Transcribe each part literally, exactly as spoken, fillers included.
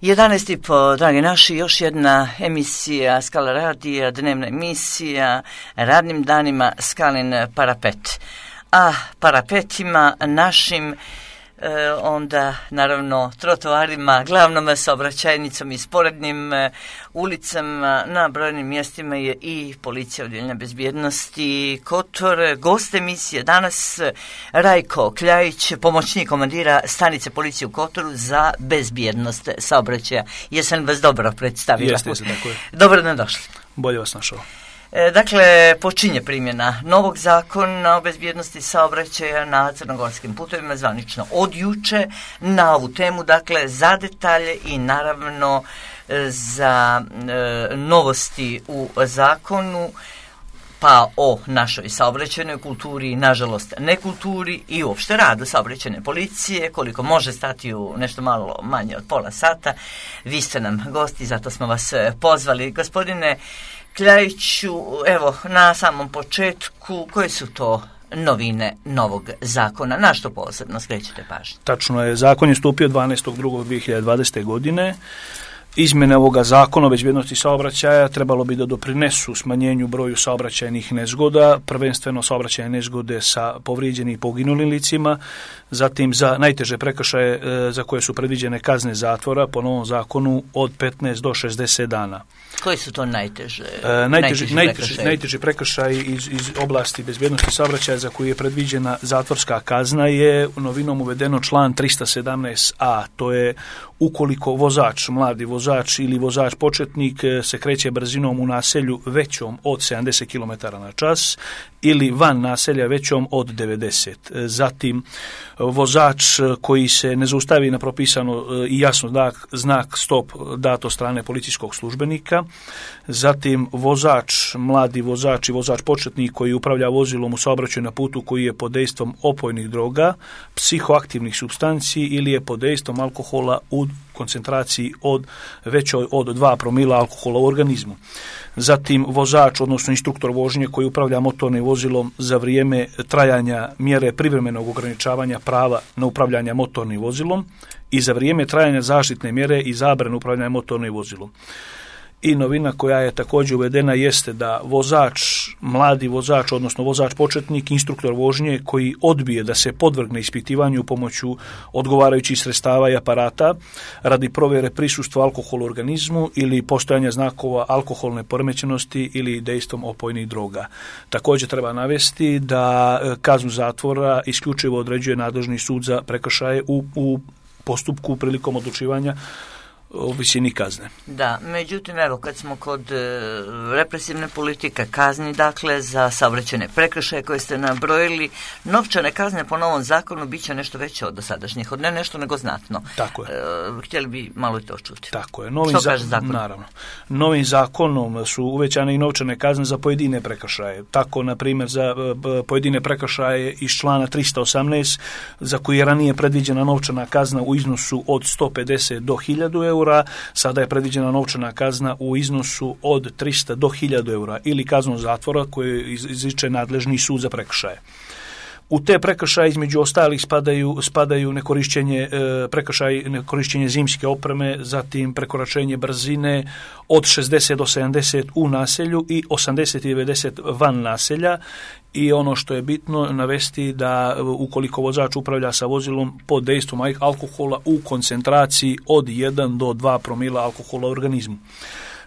jedanaest i po, dragi naši, još jedna emisija Skala radija, dnevna emisija, radnim danima Skalin parapet. A parapetima našim, e, onda naravno trotoarima, glavnom saobraćajnicom i sporednim e, ulicama na brojnim mjestima je i policija odjeljenja bezbjednosti Kotor. Gost emisije danas Rajko Kljajić, pomoćnik komandira stanice policije u Kotoru za bezbjednost saobraćaja. Jesam vas dobro predstavila? Jeste, jeste, tako je. Dobro nam došli. Bolje vas našao. Dakle, počinje primjena novog zakona o bezbjednosti saobraćaja na crnogorskim putovima zvanično od juče na ovu temu, dakle, za detalje i naravno za e, novosti u zakonu, pa o našoj saobraćajnoj kulturi, nažalost nekulturi i uopšte radu saobraćajne policije, koliko može stati u nešto malo manje od pola sata. Vi ste nam gosti, zato smo vas pozvali. Gospodine Kljajiću, evo, na samom početku, koje su to novine novog zakona? Na što posebno skrećete pažnju? Tačno je, zakon je stupio dvanaestog drugog dvije hiljade dvadesete. godine. Izmjene ovoga zakona o bezbjednosti saobraćaja trebalo bi da doprinesu smanjenju broju saobraćajnih nezgoda, prvenstveno saobraćajne nezgode sa povrijeđenim i poginulim licima, zatim za najteže prekršaje e, za koje su predviđene kazne zatvora po novom zakonu od petnaest do šezdeset dana. Koji su to najteže? E, najteži, najteži, najteži prekršaj iz, iz oblasti bezbjednosti saobraćaja za koju je predviđena zatvorska kazna je novinom uvedeno član trista sedamnaest a. To je ukoliko vozač, mladi vozač ili vozač početnik se kreće brzinom u naselju većom od sedamdeset kilometara na čas ili van naselja većom od devedeset. Zatim, vozač koji se ne zaustavi na propisano i jasno znak, znak stop dat od strane policijskog službenika. Zatim, vozač, mladi vozač i vozač početnik koji upravlja vozilom u saobraćaju na putu koji je pod dejstvom opojnih droga, psihoaktivnih supstanci ili je pod dejstvom alkohola u koncentraciji od većoj od dva promila alkohola u organizmu. Zatim, vozač, odnosno instruktor vožnje koji upravlja motornim vozilom za vrijeme trajanja mjere privremenog ograničavanja prava na upravljanje motornim vozilom i za vrijeme trajanja zaštitne mjere i zabrane upravljanja motornim vozilom. I novina koja je također uvedena jeste da vozač, mladi vozač, odnosno vozač početnik, instruktor vožnje koji odbije da se podvrgne ispitivanju pomoću odgovarajućih sredstava i aparata radi provjere prisustva alkohola u organizmu ili postojanja znakova alkoholne poremećenosti ili dejstvom opojnih droga. Također treba navesti da kaznu zatvora isključivo određuje nadležni sud za prekršaje u, u postupku prilikom odlučivanja o visini kazne. Da, međutim, evo, kad smo kod e, represivne politike kazni, dakle, za saobraćajne prekršaje koje ste nabrojili, novčane kazne po novom zakonu bit će nešto veće od dosadašnjih, od ne nešto nego znatno. Tako je. E, htjeli bi malo i to čuti. Tako je. Novim Što za... kaže zakon? Naravno. Novim zakonom su uvećane i novčane kazne za pojedine prekršaje. Tako, na primjer, za e, pojedine prekršaje iz člana trista osamnaest, za koji je ranije predviđena novčana kazna u iznosu od sto pedeset do hiljadu eura, sada je predviđena novčana kazna u iznosu od trista do hiljadu eura ili kaznu zatvora koju izriče nadležni sud za prekršaje. U te prekršaje između ostalih spadaju, spadaju nekorišćenje, e, prekršaj nekorišćenje zimske opreme, zatim prekoračenje brzine od šezdeset do sedamdeset u naselju i osamdeset i devedeset van naselja. I ono što je bitno navesti da ukoliko vozač upravlja sa vozilom pod dejstvom alkohola u koncentraciji od jedan do dva promila alkohola u organizmu.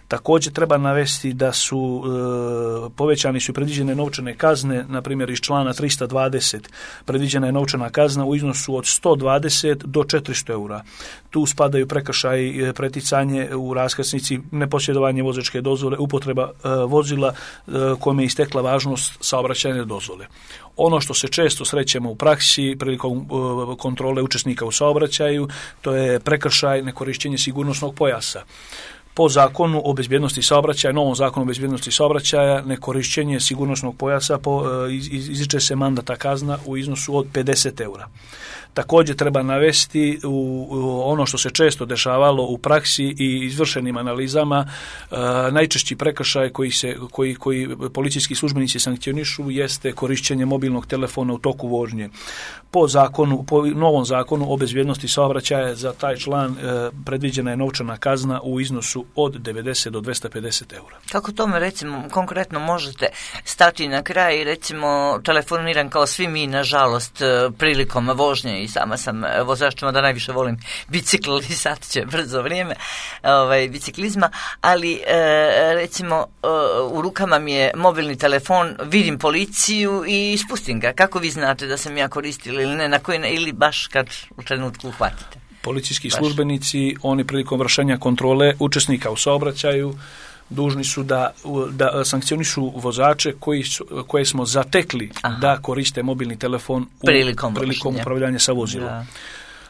Također treba navesti da su e, povećani su i predviđene novčane kazne, na primjer iz člana trista dvadeset predviđena je novčana kazna u iznosu od sto dvadeset do četiristo eura. Tu spadaju prekršaj preticanje u raskrsnici, neposjedovanje vozačke dozvole, upotreba e, vozila e, kome je istekla važnost saobraćajne dozvole. Ono što se često srećemo u praksi prilikom e, kontrole učesnika u saobraćaju, to je prekršaj nekorišćenje sigurnosnog pojasa. Po zakonu o bezbjednosti saobraćaja, novom zakonu o bezbjednosti saobraćaja, nekorišćenje sigurnosnog pojasa po, iz, izriče se mandata kazna u iznosu od pedeset eura. Također treba navesti u, u ono što se često dešavalo u praksi i izvršenim analizama, e, najčešći prekršaj koji, se, koji, koji policijski službenici sankcionišu jeste korišćenje mobilnog telefona u toku vožnje. Po zakonu, po novom zakonu o bezbjednosti saobraćaja za taj član e, predviđena je novčana kazna u iznosu od devedeset do dvesta pedeset eura. Kako tome recimo konkretno možete stati na kraj i recimo telefoniram kao svi mi nažalost prilikom vožnje i sama sam vozač, da najviše volim bicikl i sad će brzo vrijeme ovaj, biciklizma, ali e, recimo e, u rukama mi je mobilni telefon, vidim policiju i spustim ga. Kako vi znate da sam ja koristila ili ne, na koji, ili baš kad u trenutku uhvatite? Policijski baš. službenici, oni prilikom vršenja kontrole učesnika u saobraćaju dužni su da, da sankcionišu vozače koji su, koje smo zatekli Aha. da koriste mobilni telefon u prilikom, prilikom upravljanja sa vozilom. Da.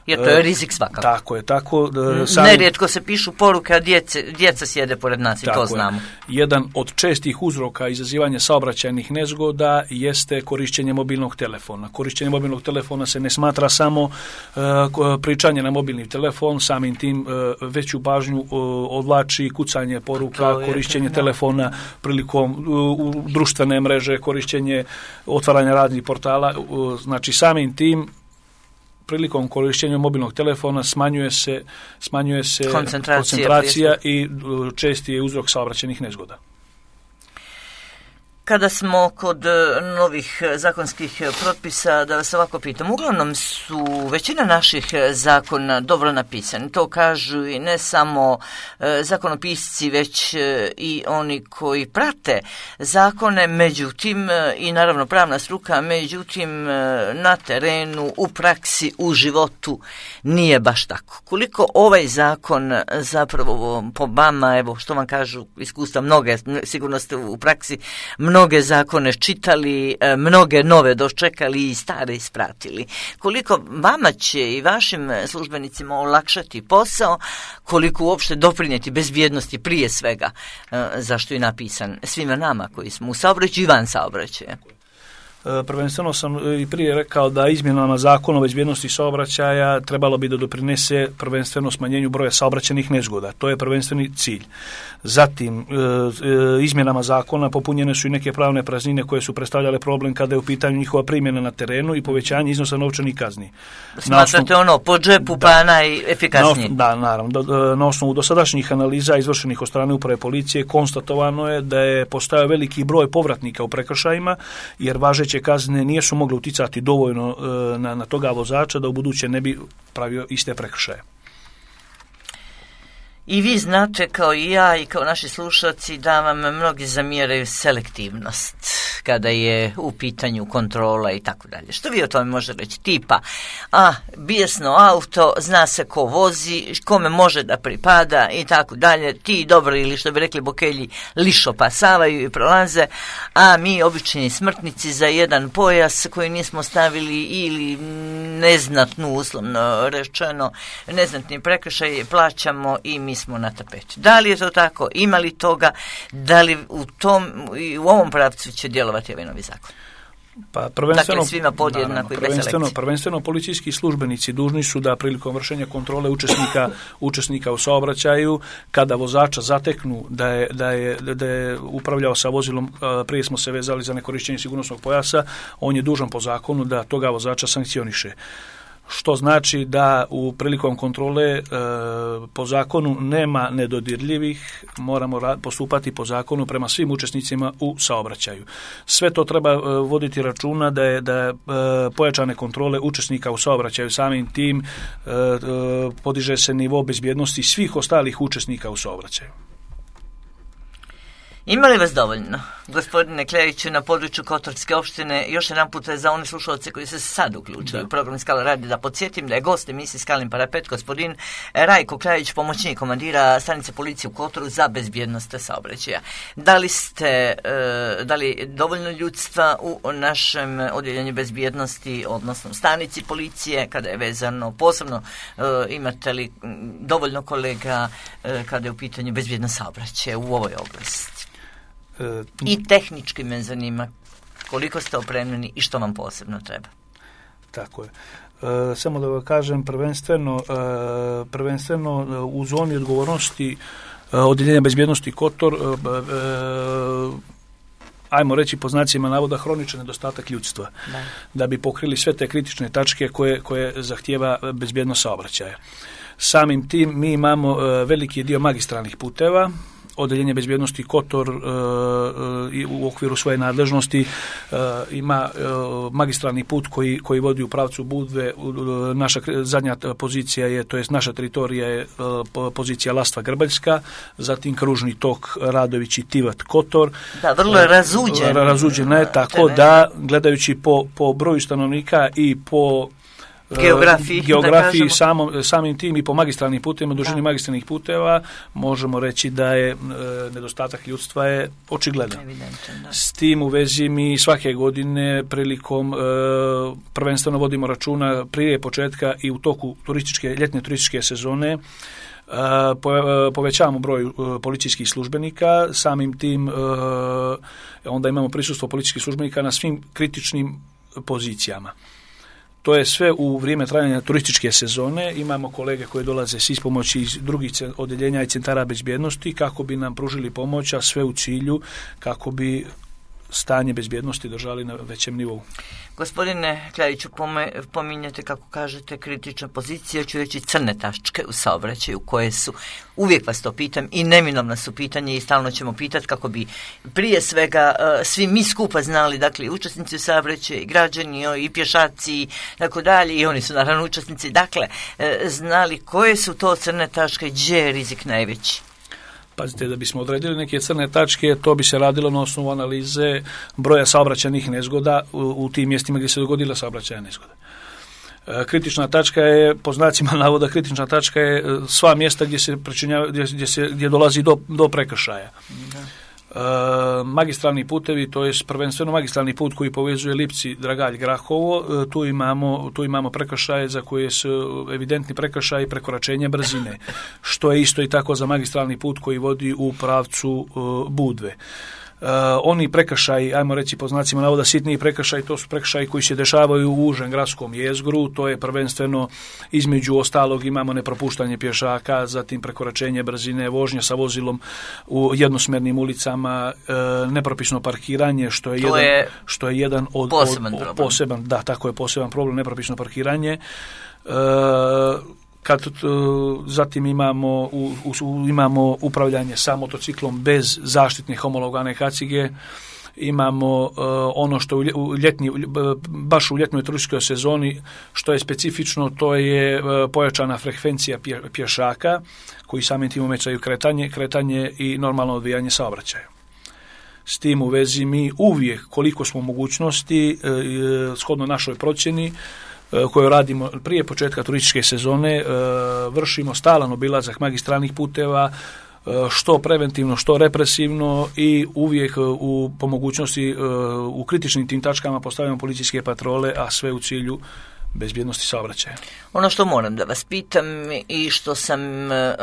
Jer to je rizik svakako. Tako je, tako. Sam... Nerijetko se pišu poruke, a djece, djeca sjede pored nas i tako to znamo. Je. Jedan od čestih uzroka izazivanja saobraćajnih nezgoda jeste korišćenje mobilnog telefona. Korišćenje mobilnog telefona se ne smatra samo uh, pričanje na mobilni telefon, samim tim uh, veću pažnju uh, odvlači kucanje poruka, je, korišćenje da. telefona prilikom uh, u društvene mreže, korišćenje otvaranja raznih portala, uh, znači samim tim prilikom korištenja mobilnog telefona smanjuje se, smanjuje se koncentracija, koncentracija i česti je uzrok saobraćajnih nezgoda. Kada smo kod novih zakonskih propisa, da vas ovako pitam, uglavnom su većina naših zakona dobro napisani. To kažu i ne samo zakonopisci, već i oni koji prate zakone, međutim, i naravno pravna struka, međutim, na terenu, u praksi, u životu nije baš tako. Koliko ovaj zakon zapravo po vama, evo što vam kažu iskustva mnoge, sigurno ste u praksi mnoge mnoge zakone čitali, mnoge nove dočekali i stare ispratili. Koliko vama će i vašim službenicima olakšati posao, koliko uopšte doprinijeti bezbjednosti prije svega, zašto je napisan svima nama koji smo u saobraćaju i van saobraćaja. Prvenstveno sam i prije rekao da izmjenama zakona o bezbjednosti saobraćaja trebalo bi da doprinese prvenstveno smanjenju broja saobraćajnih nezgoda. To je prvenstveni cilj. Zatim, izmjenama zakona popunjene su i neke pravne praznine koje su predstavljale problem kada je u pitanju njihova primjena na terenu i povećanje iznosa novčanih kazni. Smatrate osnovu, ono, po džepu da, pa najefikasnije? Da, naravno. Da, na osnovu dosadašnjih analiza izvršenih od strane uprave policije konstatovano je da je postojao veliki broj povratnika u prekršajima, jer važeće kazne nisu mogle uticati dovoljno na, na toga vozača da u buduće ne bi pravio iste prekršaje. I vi znate kao i ja i kao naši slušalci da vam mnogi zamjeraju selektivnost kada je u pitanju kontrola i tako dalje. Što vi o tome možete reći? Tipa, a, bijesno auto, zna se ko vozi, kome može da pripada i tako dalje. Ti dobro ili što bi rekli bokelji lišo pasavaju i prolaze, a mi obični smrtnici za jedan pojas koji nismo stavili ili neznatnu, uslovno rečeno, neznatni prekršaj plaćamo i mi smo na tapeti. Da li je to tako? Ima li toga? Da li u tom i u ovom pravcu će djelovati ovaj novi zakon? Pa prvenstveno, dakle, svima podjednako i bez selekcije. Prvenstveno policijski službenici dužni su da prilikom vršenja kontrole učesnika, učesnika u saobraćaju, kada vozača zateknu da je, da je, da je upravljao sa vozilom, prije smo se vezali za nekorišćenje sigurnosnog pojasa, on je dužan po zakonu da toga vozača sankcioniše. Što znači da u prilikom kontrole e, po zakonu nema nedodirljivih, moramo ra- postupati po zakonu prema svim učesnicima u saobraćaju. Sve to treba e, voditi računa da je da je, e, pojačane kontrole učesnika u saobraćaju samim tim e, e, podiže se nivo bezbjednosti svih ostalih učesnika u saobraćaju. Ima li vas dovoljno? Gospodine Kleriću, na području Kotorske opštine, još jedan put za one slušalce koji se sad uključuju u program Skala radi, da podsjetim da je gost emisije Skalin parapet gospodin Rajko Klerić, pomoćnik komandira stanice policije u Kotoru za bezbjednost saobraćaja. Da li ste, da li dovoljno ljudstva u našem odjeljenju bezbjednosti, odnosno stanici policije, kada je vezano posebno, imate li dovoljno kolega kada je u pitanju bezbjednost saobraćaja u ovoj oblasti? E, I tehnički me zanima koliko ste opremljeni i što vam posebno treba. Tako je. E, samo da vam kažem, prvenstveno, e, prvenstveno u zoni odgovornosti e, odjeljenja bezbjednosti Kotor, e, e, ajmo reći po znacima navoda, hroničan nedostatak ljudstva, da. da bi pokrili sve te kritične tačke koje, koje zahtijeva bezbjednost saobraćaja. Samim tim mi imamo e, veliki dio magistralnih puteva. Odjeljenje bezbjednosti Kotor uh, uh, u okviru svoje nadležnosti uh, ima uh, magistralni put koji, koji vodi u pravcu Budve. Uh, naša zadnja pozicija je, to jest naša teritorija je uh, pozicija Lastva Grbaljska, zatim kružni tok Radović i Tivat Kotor. Da, vrlo je razuđen. Uh, razuđena je, tako tebe. Da, gledajući po, po broju stanovnika i po geografiji, geografiji samom, samim tim i po magistralnim putevima, dužini magistralnih puteva, možemo reći da je e, nedostatak ljudstva je očigledan. S tim u vezi mi svake godine prilikom e, prvenstveno vodimo računa prije početka i u toku turističke, ljetne turističke sezone, Uh, po, uh, povećavamo broj uh, policijskih službenika, samim tim uh, onda imamo prisustvo policijskih službenika na svim kritičnim pozicijama. To je sve u vrijeme trajanja turističke sezone. Imamo kolege koji dolaze s ispomoći iz drugih odjeljenja i centara bezbjednosti kako bi nam pružili pomoć, a sve u cilju kako bi stanje bezbjednosti držali na većem nivou. Gospodine Kleriću, pominjate, kako kažete, kritične pozicije, ću reći crne tačke u saobraćaju koje su, uvijek vas to pitam i neminovna su pitanje i stalno ćemo pitati kako bi prije svega svi mi skupa znali, dakle i učesnici u saobraćaju, i građani, i pješaci, tako dalje, i oni su naravno učesnici, dakle znali koje su to crne tačke, gdje je rizik najveći. Pazite, da bismo odredili neke crne tačke, to bi se radilo na osnovu analize broja saobraćajnih nezgoda u, u tim mjestima gdje se dogodila saobraćajna nezgoda. E, kritična tačka je, po znacima navoda, kritična tačka je sva mjesta gdje se pričinjava, gdje, gdje se gdje dolazi do, do prekršaja. Da. E, magistralni putevi, to je prvenstveno magistralni put koji povezuje Lipci, Dragalj, Grahovo, e, tu imamo, tu imamo prekršaje za koje su evidentni prekršaji prekoračenja brzine, što je isto i tako za magistralni put koji vodi u pravcu e, Budve. Uh, oni prekršaji, ajmo reći po znacima navoda sitniji prekršaji, to su prekršaji koji se dešavaju u užem gradskom jezgru, to je prvenstveno između ostalog imamo nepropuštanje pješaka, zatim prekoračenje brzine, vožnja sa vozilom u jednosmjernim ulicama, uh, nepropisno parkiranje, što je, jedan, je što je jedan od, poseban od, od poseban, da, tako je poseban problem, nepropisno parkiranje. Uh, Kad, zatim imamo, u, u, imamo upravljanje sa motociklom bez zaštitne homologane kacige, imamo uh, ono što u ljetni, baš u ljetnoj turističkoj sezoni što je specifično, to je uh, pojačana frekvencija pje, pješaka koji samim tim omećaju kretanje, kretanje i normalno odvijanje saobraćaja. S tim u vezi mi uvijek koliko smo mogućnosti uh, shodno našoj procjeni koju radimo prije početka turističke sezone, vršimo stalan obilazak magistralnih puteva, što preventivno, što represivno i uvijek u, po mogućnosti u kritičnim tim tačkama postavljamo policijske patrole, a sve u cilju bezbjednosti saobraćaja. Ono što moram da vas pitam i što sam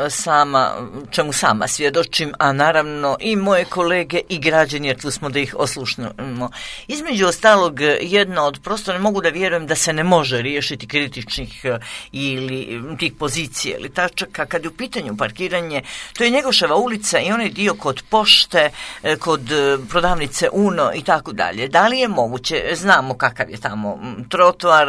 sama, čemu sama svjedočim, a naravno i moje kolege i građani, jer tu smo da ih oslušnemo. Između ostalog, jedna od, prosto ne mogu da vjerujem da se ne može riješiti kritičnih ili tih pozicija ili tačaka, kad je u pitanju parkiranje, to je Njegoševa ulica i onaj dio kod pošte, kod prodavnice Uno i tako dalje. Da li je moguće, znamo kakav je tamo trotoar,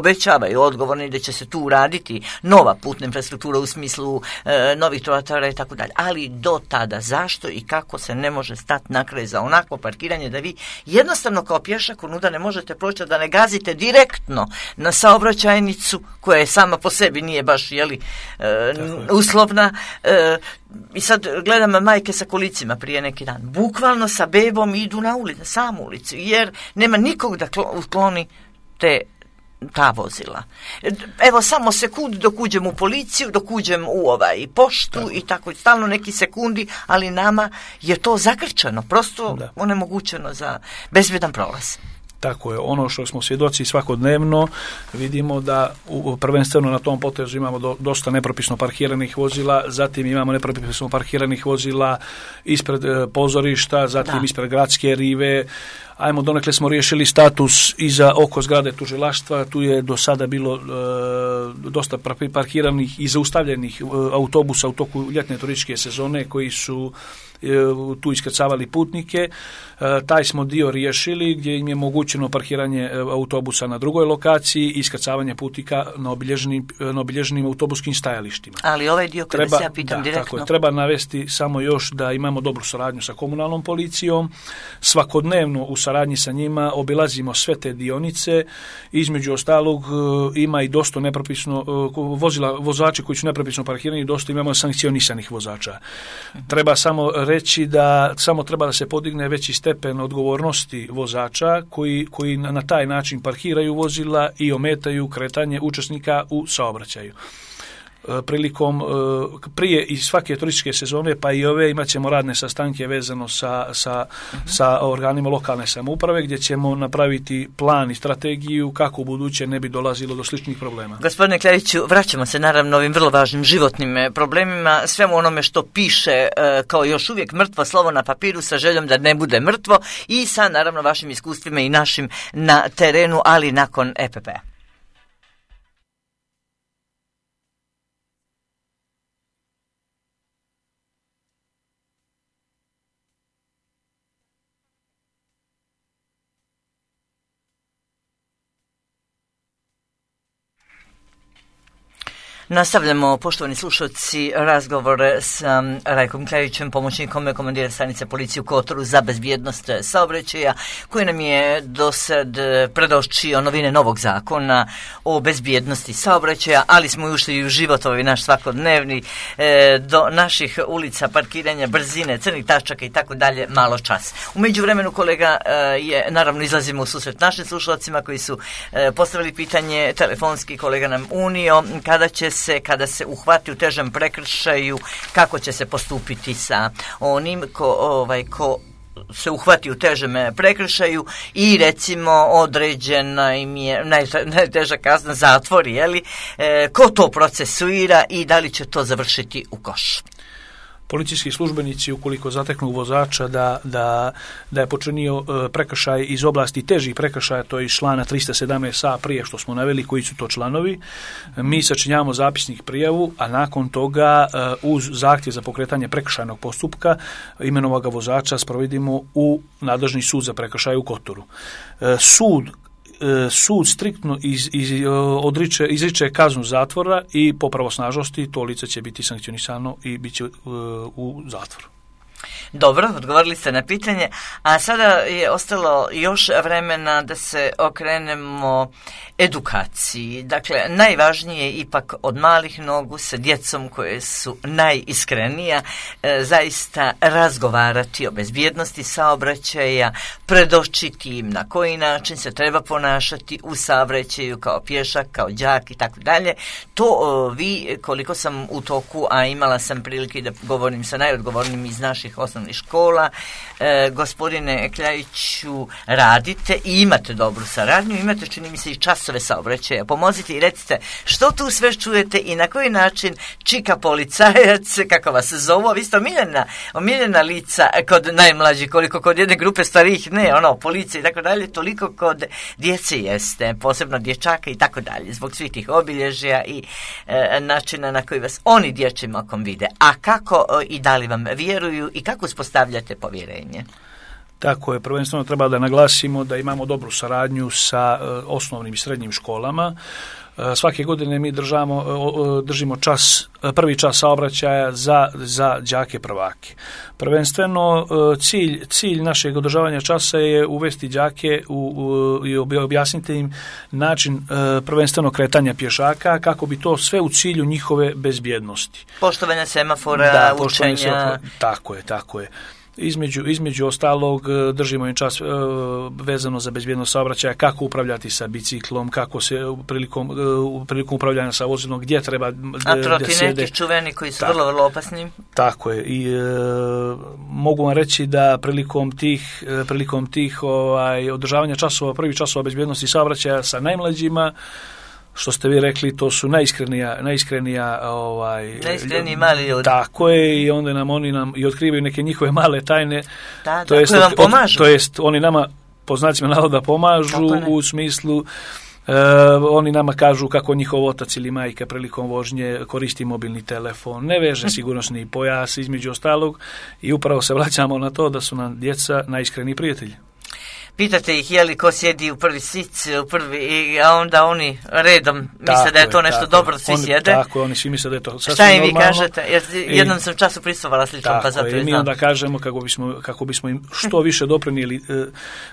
obećavaju odgovorni da će se tu uraditi nova putna infrastruktura u smislu e, novih trotoara i tako dalje. Ali do tada zašto i kako se ne može stati na kraj za onako parkiranje da vi jednostavno kao pješak unuda ne možete proći, da ne gazite direktno na saobraćajnicu koja je sama po sebi nije baš jeli, e, uslovna. E, I sad gledam majke sa kolicima prije neki dan. Bukvalno sa bebom idu na ulicu, samu ulicu, jer nema nikog da ukloni te ta vozila. Evo samo sekund dok uđem u policiju, dok uđem u ovaj poštu da. I tako stalno neki sekundi, ali nama je to zakrčeno, prosto da. Onemogućeno za bezbjedan prolaz. Tako je, ono što smo svjedoci svakodnevno, vidimo da u, prvenstveno na tom potezu imamo do, dosta nepropisno parkiranih vozila, zatim imamo nepropisno parkiranih vozila ispred e, pozorišta, zatim da. Ispred gradske rive. Ajmo, donekle smo riješili status iza oko zgrade tužilaštva, tu je do sada bilo e, dosta parkiranih i zaustavljenih e, autobusa u toku ljetne turističke sezone koji su e, tu iskrcavali putnike. E, taj smo dio riješili gdje im je mogućeno parkiranje e, autobusa na drugoj lokaciji i iskrcavanje putnika na obilježenim, na obilježenim autobuskim stajalištima. Ali ovaj dio kada treba, se ja pitam da, direktno... Tako je, treba navesti samo još da imamo dobru suradnju sa komunalnom policijom, svakodnevno u saradnji sa njima obilazimo sve te dionice, između ostalog ima i dosta nepropisno vozila, vozači koji su nepropisno parkirani, dosta imamo sankcionisanih vozača. Treba samo reći da samo treba da se podigne veći stepen odgovornosti vozača koji, koji na taj način parkiraju vozila i ometaju kretanje učesnika u saobraćaju. Prilikom prije i svake turističke sezone pa i ove imat ćemo radne sastanke vezano sa, sa, uh-huh. sa organima lokalne samouprave gdje ćemo napraviti plan i strategiju kako u buduće ne bi dolazilo do sličnih problema. Gospodine Klariću, vraćamo se naravno ovim vrlo važnim životnim problemima, svemu onome što piše kao još uvijek mrtvo slovo na papiru sa željom da ne bude mrtvo i sa naravno vašim iskustvima i našim na terenu, ali nakon E P P-a. Nastavljamo, poštovani slušalci, razgovor s um, Rajkom Klarićem, pomoćnikom komandira stanice policije u Kotoru za bezbjednost saobraćaja, koji nam je do sad predočio novine novog zakona o bezbjednosti saobraćaja, ali smo i ušli u život ovaj naš svakodnevni, e, do naših ulica, parkiranja, brzine, crnih tačaka i tako dalje, malo čas. U međuvremenu, kolega, e, je, naravno izlazimo u susret našim slušalcima koji su e, postavili pitanje telefonski, kolega nam unio, kada će se, kada se uhvati u težem prekršaju, kako će se postupiti sa onim ko, ovaj, ko se uhvati u težem prekršaju i recimo određena im je najteža kazna zatvor, je li? E, ko to procesuira i da li će to završiti u koš? Policijski službenici, ukoliko zateknu vozača da, da, da je počinio e, prekršaj iz oblasti težih prekršaja, to je iz člana trista sedamnaest a prije što smo naveli koji su to članovi, mi sačinjavamo zapisnik prijavu, a nakon toga e, uz zahtjev za pokretanje prekršajnog postupka imenovoga vozača sprovedimo u nadležni sud za prekršaj u Kotoru. E, sud sud striktno iz, iz, odriče, izriče kaznu zatvora i po pravosnažnosti to lice će biti sankcionisano i bit će uh, u zatvoru. Dobro, odgovorili ste na pitanje, a sada je ostalo još vremena da se okrenemo edukaciji. Dakle, najvažnije je ipak od malih nogu sa djecom koje su najiskrenija e, zaista razgovarati o bezbjednosti saobraćaja, predočiti im na koji način se treba ponašati u saobraćaju kao pješak, kao đak i tako dalje. To o, vi, koliko sam u toku, a imala sam prilike da govorim sa najodgovornijim iz naših osnovnih škola, e, gospodine Klariću, radite i imate dobru saradnju, imate, čini mi se, i časove saobraćaja. Pomozite i recite što tu sve čujete i na koji način čika policajac, kako vas zovu, vi ste omiljena, omiljena lica kod najmlađih, koliko kod jedne grupe starijih, ne, ono, policije i tako dalje, toliko kod djece jeste, posebno dječaka i tako dalje, zbog svih tih obilježja i e, načina na koji vas oni dječjim okom vide. A kako e, i da li vam vjeruju i kako uspostavljate povjerenje? Tako je, prvenstveno treba da naglasimo da imamo dobru saradnju sa e, osnovnim i srednjim školama. E, svake godine mi držamo, e, držimo čas, prvi čas saobraćaja za, za đake prvake. Prvenstveno e, cilj, cilj našeg održavanja časa je uvesti đake u, u, i objasniti im način e, prvenstveno kretanja pješaka kako bi to sve u cilju njihove bezbjednosti. Poštovanja semafora, da, učenja. Semafora, tako je, tako je. Između, između ostalog držimo im čas e, vezano za bezbjednost saobraćaja, kako upravljati sa biciklom, kako se prilikom, e, prilikom upravljanja sa vozilom, gdje treba a trotineti čuveni koji su tako, vrlo, vrlo opasni. Tako je. I e, mogu vam reći da prilikom tih, e, prilikom tih ovaj, održavanja časova, prvih časova bezbjednosti saobraćaja sa najmlađima, što ste vi rekli, to su najiskrenija, najiskrenija ovaj, najiskreniji mali ljudi. Tako je, i onda nam oni nam i otkrivaju neke njihove male tajne. Da, to da, jest, koje vam pomažu. To jest, oni nama, po znacima navoda, pomažu u smislu, uh, oni nama kažu kako njihov otac ili majka prilikom vožnje koristi mobilni telefon, ne veže sigurnosni pojas, između ostalog, i upravo se vraćamo na to da su nam djeca najiskreniji prijatelji. Pitate ih je li ko sjedi u prvi sic, u prvi, a onda oni redom misle tako da je to je, nešto dobro, svi oni, sjede. Tako, oni svi misle da je to sasvim normalno. Šta im vi normalno. kažete? Jer jednom I, sam času prisutovala sličnom, pa zato je i mi onda kažemo kako bismo, kako bismo im što više doprinijeli e,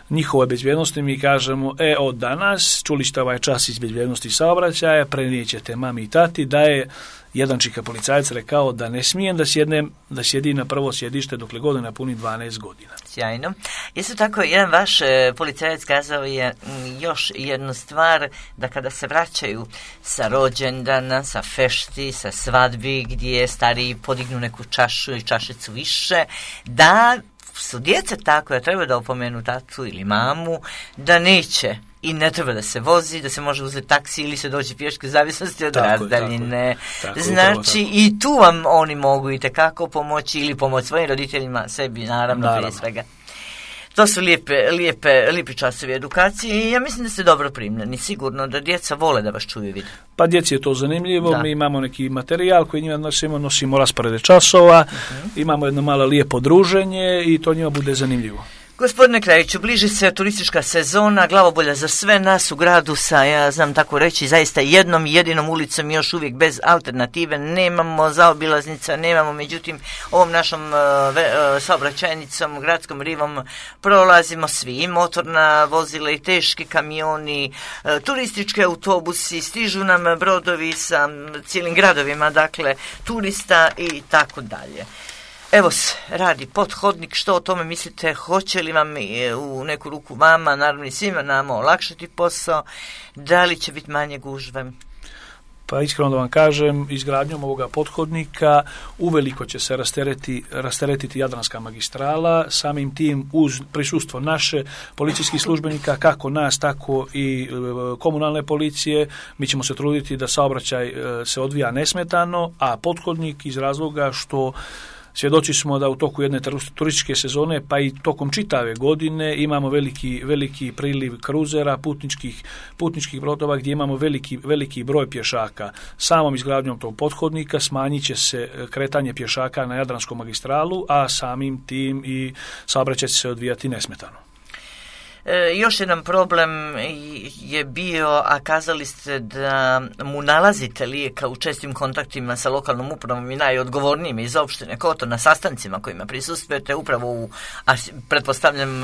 njihove bezbjednosti, mi kažemo, e, od danas čuli ste ovaj čas iz bezbjednosti saobraćaja, prenijećete mami i tati da je jedan čika policajac rekao da ne smijem da sjednem, da sjedi na prvo sjedište dokle god ne napuni dvanaest godina. Sjajno. Isto tako, jedan vaš e, policajac kazao je m, još jednu stvar, da kada se vraćaju sa rođendana, sa fešti, sa svadbi, gdje stariji podignu neku čašu i čašicu više, da su djeca tako da treba da opomenu tatu ili mamu, da neće i ne treba da se vozi, da se može uzeti taksi ili se doći pješke u zavisnosti od tako razdaljine. Tako, znači tako. I tu vam oni mogu i tekako pomoći ili pomoći svojim roditeljima, sebi naravno, naravno. prije svega. To su lijepe, lijepe, lijepi časovi edukacije i ja mislim da ste dobro primljeni. Sigurno da djeca vole da vas čuju i vide. Pa djeci je to zanimljivo, da. Mi imamo neki materijal koji njima nosimo, nosimo rasporede časova, uh-huh. imamo jedno malo lijepo druženje i to njima bude zanimljivo. Gospodine Krajiću, bliži se turistička sezona, glavobolja za sve nas u gradu sa, ja znam tako reći, zaista jednom jedinom ulicom još uvijek bez alternative, nemamo zaobilaznica, nemamo, međutim, ovom našom uh, uh, saobraćajnicom, gradskom rivom prolazimo svi, i motorna vozila i teški kamioni, uh, turistički autobusi, stižu nam brodovi sa cijelim gradovima, dakle, turista i tako dalje. Evo se, radi pothodnik, što o tome mislite, hoće li vam u neku ruku vama, naravno i svima nama, olakšati posao, da li će biti manje gužve? Pa iskreno da vam kažem, izgradnjom ovoga pothodnika uveliko će se rastereti, rasteretiti Jadranska magistrala, samim tim uz prisustvo naše policijskih službenika, kako nas, tako i e, komunalne policije, mi ćemo se truditi da saobraćaj e, se odvija nesmetano, a pothodnik iz razloga što svjedoci smo da u toku jedne turističke sezone, pa i tokom čitave godine, imamo veliki, veliki priliv kruzera, putničkih, putničkih brodova gdje imamo veliki, veliki broj pješaka. Samom izgradnjom tog pothodnika smanjit će se kretanje pješaka na Jadranskom magistralu, a samim tim i saobraćaj će se odvijati nesmetano. E, još jedan problem je bio, a kazali ste da mu nalazite lijeka u čestim kontaktima sa lokalnom upravom i najodgovornijim iz opštine Kotor na sastancima kojima prisustvujete upravo u, a pretpostavljam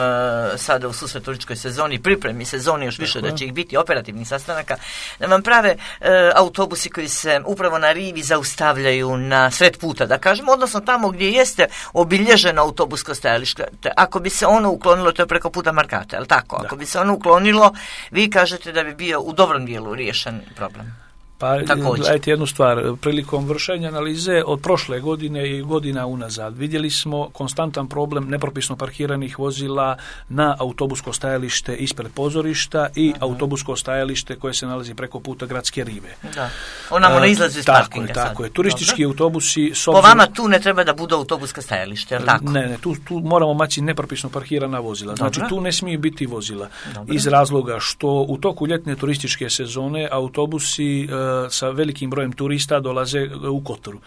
sada u susret turističkoj sezoni, pripremi sezoni još više, da će ih biti operativnih sastanaka, da vam prave e, autobusi koji se upravo na rivi zaustavljaju na sred puta, da kažemo, odnosno tamo gdje jeste obilježeno autobusko stajalište. Ako bi se ono uklonilo, to je preko puta Markata, ali tako, da. Ako bi se ono uklonilo, vi kažete da bi bio u dobrom dijelu riješen problem. Pa, gledajte jednu stvar, prilikom vršenja analize od prošle godine i godina unazad vidjeli smo konstantan problem nepropisno parkiranih vozila na autobusko stajalište ispred pozorišta i uh-huh. autobusko stajalište koje se nalazi preko puta Gradske rive. Da. Onamo ne izlazi iz parkinga sad. Tako je, turistički Dobro. autobusi... Po vama tu ne treba da budu autobuska stajalište, je li tako? Ne, ne, tu, tu moramo maći nepropisno parkirana vozila. Znači Dobro. tu ne smiju biti vozila. Dobro. Iz razloga što u toku ljetne turističke sezone autobusi sa velikim brojem turista dolaze u Kotoru.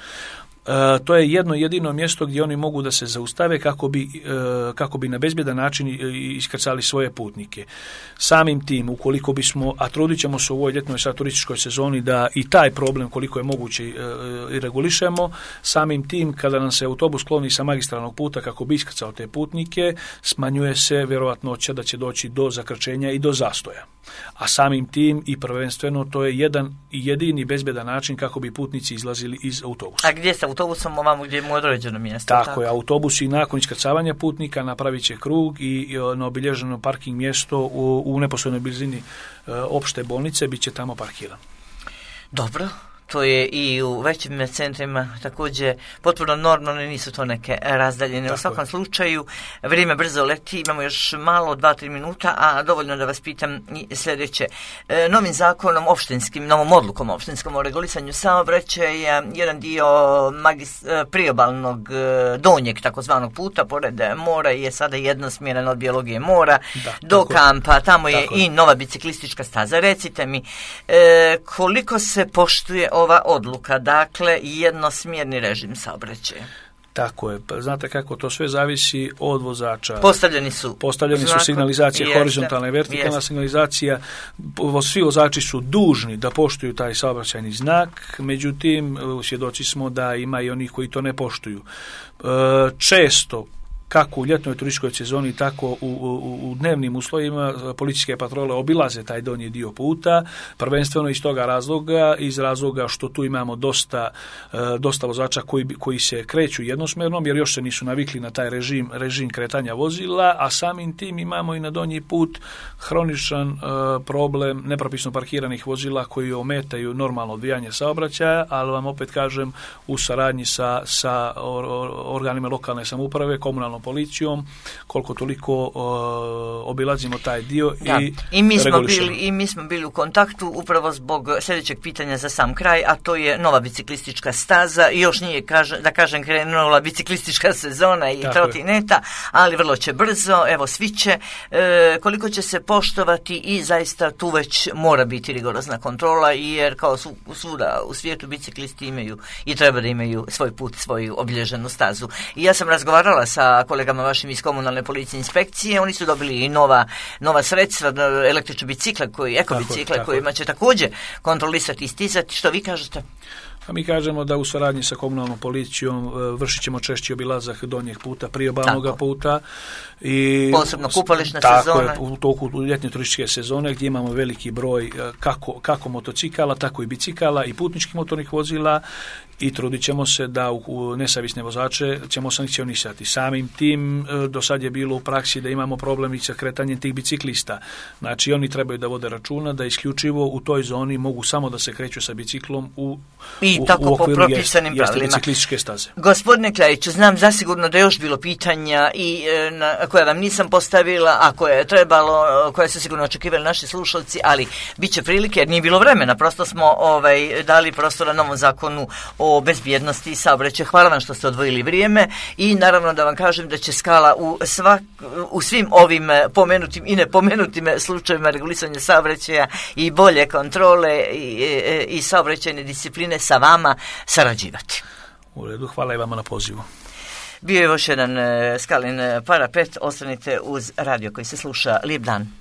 to je jedno jedino mjesto gdje oni mogu da se zaustave kako bi, kako bi na bezbjedan način iskrcali svoje putnike. Samim tim, ukoliko bismo, a trudit ćemo se u ovoj ljetnoj sad turističkoj sezoni da i taj problem koliko je moguće i regulišemo, samim tim kada nam se autobus kloni sa magistralnog puta kako bi iskrcao te putnike, smanjuje se vjerojatnoća da će doći do zakrčenja i do zastoja. A samim tim i prvenstveno to je jedan i jedini bezbjedan način kako bi putnici izlazili iz autobusa. A gdje sa autobusom ovamo gdje mu određeno mjesto? Tako, tako je, autobusi nakon iskrcavanja putnika napravit će krug i na obilježeno parking mjesto u, u neposrednoj blizini e, opšte bolnice bit će tamo parkiran. Dobro. To je i u većim centrima također potpuno normalno, nisu to neke razdaljene. U svakom slučaju, vrijeme brzo leti, imamo još malo, dva, tri minuta, a dovoljno da vas pitam i sljedeće. E, novim zakonom opštinskim, novom odlukom opštinskom o regulisanju saobraćaja, jedan dio magis, priobalnog donjeg takozvanog puta pored mora je sada jednosmjeran od Bijelogije mora da, do tako, kampa, tamo je i nova biciklistička staza. Recite mi, e, koliko se poštuje ova odluka, dakle jednosmjerni režim saobraćaja? Tako je. Pa znate kako to sve zavisi od vozača. Postavljeni su. Postavljeni znako, su signalizacije, jeste, horizontalna i vertikalna jeste. Signalizacija. Svi vozači su dužni da poštuju taj saobraćajni znak, međutim, svjedoci smo da ima i onih koji to ne poštuju. Često kako u ljetnoj turističkoj sezoni, tako u, u, u dnevnim uslovima policijske patrole obilaze taj donji dio puta, prvenstveno iz toga razloga, iz razloga što tu imamo dosta, dosta vozača koji, koji se kreću jednosmjernom, jer još se nisu navikli na taj režim, režim kretanja vozila, a samim tim imamo i na donji put hroničan uh, problem nepropisno parkiranih vozila koji ometaju normalno odvijanje saobraćaja, ali vam opet kažem, u saradnji sa, sa or, or, organima lokalne samouprave, komunalnom policijom, koliko toliko uh, obilazimo taj dio da. i, I mi smo bili i mi smo bili u kontaktu upravo zbog sljedećeg pitanja za sam kraj, a to je nova biciklistička staza. Još nije, kaže, da kažem, krenula biciklistička sezona i trotineta, ali vrlo će brzo, evo svi će, e, koliko će se poštovati i zaista tu već mora biti rigorozna kontrola, jer kao su, svuda u svijetu biciklisti imaju i treba da imaju svoj put, svoju obilježenu stazu. I ja sam razgovarala sa kolegama vašim iz komunalne policije inspekcije, oni su dobili i nova, nova sredstva, električne bicikle, koji, ekobicikle, kojima će također kontrolisati i stizati. Što vi kažete? A mi kažemo da u suradnji sa komunalnom policijom vršit ćemo češći obilazak donjeg puta, priobalnog puta. I posebno kupališne tako sezone. Tako je, u toku ljetne turističke sezone gdje imamo veliki broj kako, kako motocikala, tako i bicikala i putničkih motornih vozila i trudit ćemo se da u, u nesavisne vozače ćemo sankcionisati. Samim tim do sad je bilo u praksi da imamo problem i sa kretanjem tih biciklista. Znači oni trebaju da vode računa da isključivo u toj zoni mogu samo da se kreću sa biciklom u I u, tako u po propisanim jest, pravilima. Biciklističke staze. Gospodine Kljajiću, znam zasigurno da je još bilo pitanja i e, na, koje vam nisam postavila, a koje je trebalo, koje su sigurno očekivali naši slušalci, ali bit će prilike jer nije bilo vremena. Prosto smo ovaj, dali prostora novom zakonu o bezbjednosti i saobraćaju. Hvala vam što ste odvojili vrijeme i naravno da vam kažem da će Skala u, svak, u svim ovim pomenutim i nepomenutim slučajevima regulisanja saobraćaja i bolje kontrole i, i, i saobraćajne discipline sa vama sarađivati. U redu, hvala i vama na pozivu. Bio je još jedan Skalin Parapet, ostanite uz radio koji se sluša. Lijep dan.